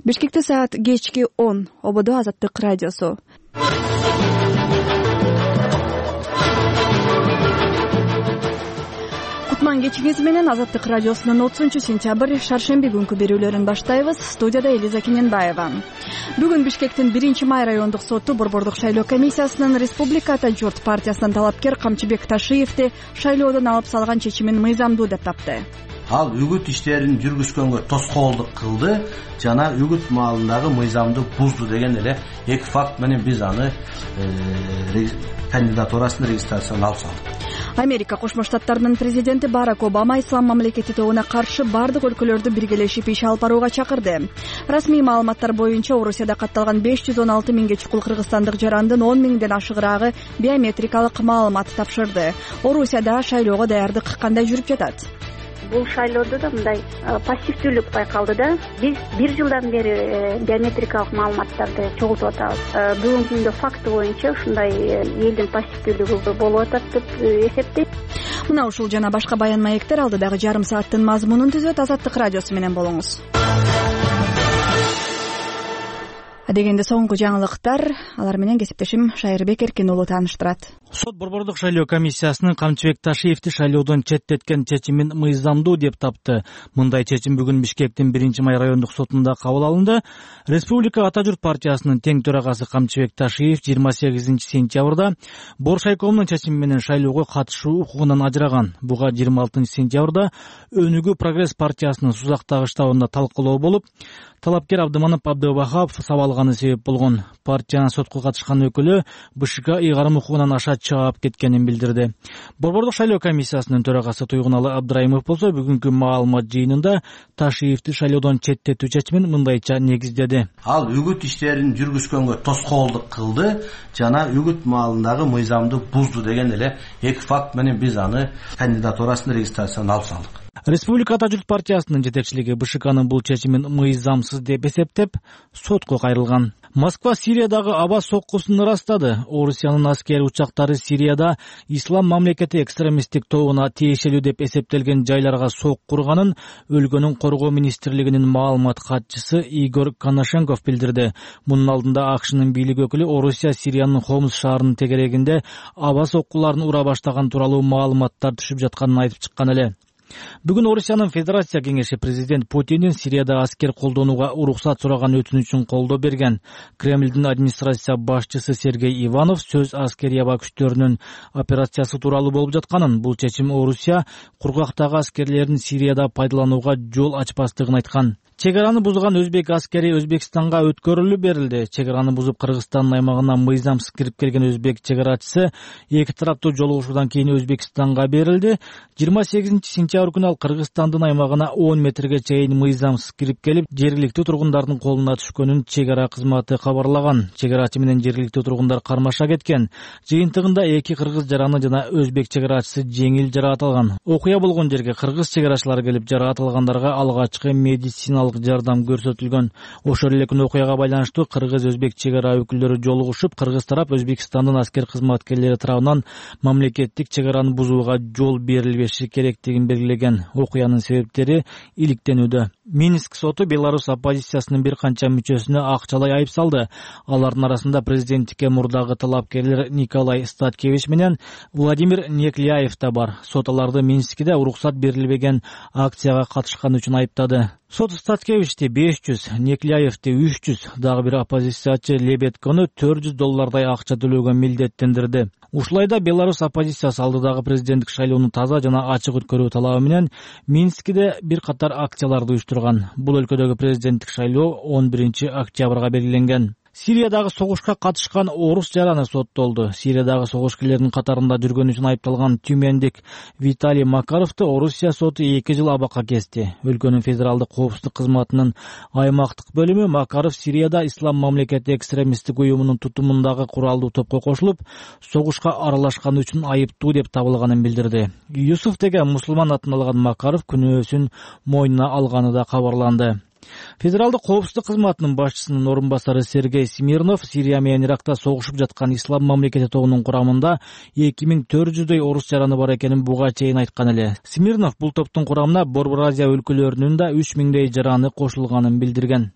Бишкекте саат кечки 10. Ободо Азаттык радиосу. Кутман кечиңиз менен Азаттык радиосунун 30-сентябрь шаршемби күнкү берүүлөрүн баштайбыз. Студияда Элиза Кененбаева. Бүгүн Бишкектин 1-май райондук соту Борбордук шайлоо комиссиясынын Республика Ата журт партиясынын талапкер Камчыбек Ташиевди шайлоодон алып салган чечимин мыйзамдуу деп тапты. Ал үгүт иштерин жүргүзгөнгө тоскоолдук кылды жана үгүт маалындагы мыйзамды бузду деген эле эки факт менен биз аны кандидатурасын регистрациядан алып салдык. Америка Кошмо Штаттарынын президенти Барак Обама ислам мамлекети тобуна каршы бардык өлкөлөрдү биргелешип иш алып барууга чакырды. Расмий маалыматтар боюнча Орусияда катталган 516 миңге чукул кыргызстандык жарандын 10 миңден ашыгыраагы биометрикалык маалымат тапшырды. Орусияда шайлоого даярдык кандай жүрүп жатат? Бул шайлоодо да мындай пассивдүүлүк байкалды да. Биз 1 жылдан бери биометрикалык маалыматтарды чогултуп атабыз. Бүгүнкү күндө факты боюнча ушундай элдин пассивдүүлүгү болуп атат деп эсептейт. Мына ушул жана башка баян маектер алдыдагы жарым сааттын мазмунун түзөт. Азаттык радиосу менен болуңуз. Дегенде соңку жаңылыктар, алар менен кесиптешим Шайырбек Эркин уулу тааныштырат. Сот Борбордук шайлоо комиссиясынын Камчыбек Ташиевди шайлоодон четтеткен чечимин мыйзамдуу деп тапты. Мындай чечим бүгүн Бишкектин 1-май райондук сотунда кабыл алынды. Республика Ата журт партиясынын тең төрагасы Камчыбек Ташиев 28-сентябрда Боршайкомдун чечими менен шайлоого катышуу укугунан ажыраган. Буга 26-сентябрда Өнүгүү Прогресс партиясынын Сузактагы штабында талкуулоо болуп, талапкер Абдыманап Абдыбахапов сабалганы себеп болгон. Партиянын сотко катышкан өкүлү БШК ыйгарым укугунан аша чаап кеткенин билдирди. Борбордук шайлоо комиссиясынын төрагасы Туйгуналы Абдрайымов болсо бүгүнкү маалымат жыйынында Ташиевди шайлоодон четтетүү чечимин мындайча негиздеди. Ал үгүт иштерин жүргүзгөнгө тоскоолдук кылды жана үгүт маалындагы мыйзамды бузду деген эле эки факт менен биз аны кандидатурасын регистрациядан алып салдык. Республика Ата журт партиясынын жетекчилиги БШКнын бул чечимин мыйзамсыз деп эсептеп, сотко кайрылган. Москва Сириядагы аба соккусун ырастады. Орусиянын аскери учактары Сирияда ислам мамлекети экстремисттик тобуна тиешелүү деп эсептелген жайларга сок курганын өлкөнүн коргоо министрлигинин маалымат катчысы Игорь Коношенков билдирди. Мунун алдында АКШнын бийлик өкүлү Орусия Сириянын Хомс шаарынын тегерегинде аба соккуларын ура баштаган тууралуу маалыматтар түшүп жатканын айтып чыккан эле. Бүгүн Орусиянын Федерация кеңеши президент Путиндин Сирияда аскер колдонууга уруксат сураган өтүнүчүн колдоо берген. Кремлдин администрация башчысы Сергей Иванов сөз аскери аба күчтөрүнүн операциясы тууралуу болуп жатканын, бул чечим Орусия кургактагы аскерлерин Сирияда пайдаланууга жол ачпастыгын айткан. Чегараны бузган өзбек аскери Өзбекстанга өткөрүлүп берилди. Чегараны бузуп Кыргызстандын аймагына мыйзамсыз кирип келген өзбек чегарачысы эки тараптуу жолугушуудан кийин Өзбекстанга берилди. 28-сентябрь күнү ал Кыргызстандын аймагына 10 метрге чейин мыйзамсыз кирип келип, жергиликтүү тургундардын колуна түшкөнүн чегара кызматы кабарлаган. Чегарачы менен жергиликтүү тургундар кармаша кеткен. Жыйынтыгында эки кыргыз жараны жана өзбек чегарачысы жеңил жараат алган. Окуя болгон жерге кыргыз чегарачылар келип, жараат алгандарга алгачкы медициналык жардам көрсөтүлгөн. Ошол эле күнү окуяга байланыштуу кыргыз-өзбек чегара өкүлдөрү жолугушуп, кыргыз тарап Өзбекстандын аскер кызматкерлери тарабынан мамлекеттик чегараны бузууга жол берилбеши керектигин белгилеген. Окуянын себептери иликтенүүдө. Минск соту Беларусь оппозициясынын бир канча мүчөсүнө акчалай айып салды. Алардын арасында президенттикке мурдагы талапкерлер Николай Статкевич менен Владимир Некляев да бар. Сот аларды Минскиде уруксат берилбеген акцияга катышкан үчүн айыптады. Сот Статкевичти 500, Некляевти 300, дагы бир оппозициячы Лебедкону $400 акча төлөөгө милдеттендирди. Ушулайда Беларусь оппозициясы алдыдагы президенттик шайлоону таза жана ачык өткөрүү талабы менен Минскиде бир катар акцияларды уюштурган. Бул өлкөдөгү президенттик шайлоо 11-октябрга белгиленген. Сириядагы согушка катышкан орус жараны соттолду. Сириядагы согушкерлердин катарында жүргөн үчүн айыпталган тюмендик Виталий Макаровду Орусия соту 2 жыл абакка кести. Өлкөнүн федералдык коопсуздук кызматынын аймактык бөлүмү Макаров Сирияда ислам мамлекети экстремисттик уюмунун тутумундагы куралдуу топко кошулуп, согушка аралашканы үчүн айыптуу деп табылганын билдирди. Юсуф деген мусулман атын алган Макаров күнөөсүн мойнуна алганы да кабарланды. Федералдык коопсуздук кызматынын башчысынын орун басары Сергей Смирнов Сирия менен Иракта согушуп жаткан ислам мамлекети тобунун курамында 2400дөй орус жараны бар экенин буга чейин айткан эле. Смирнов бул топтун курамына Борбор Азия өлкөлөрүнүн да 3000дөй жараны кошулганын билдирген.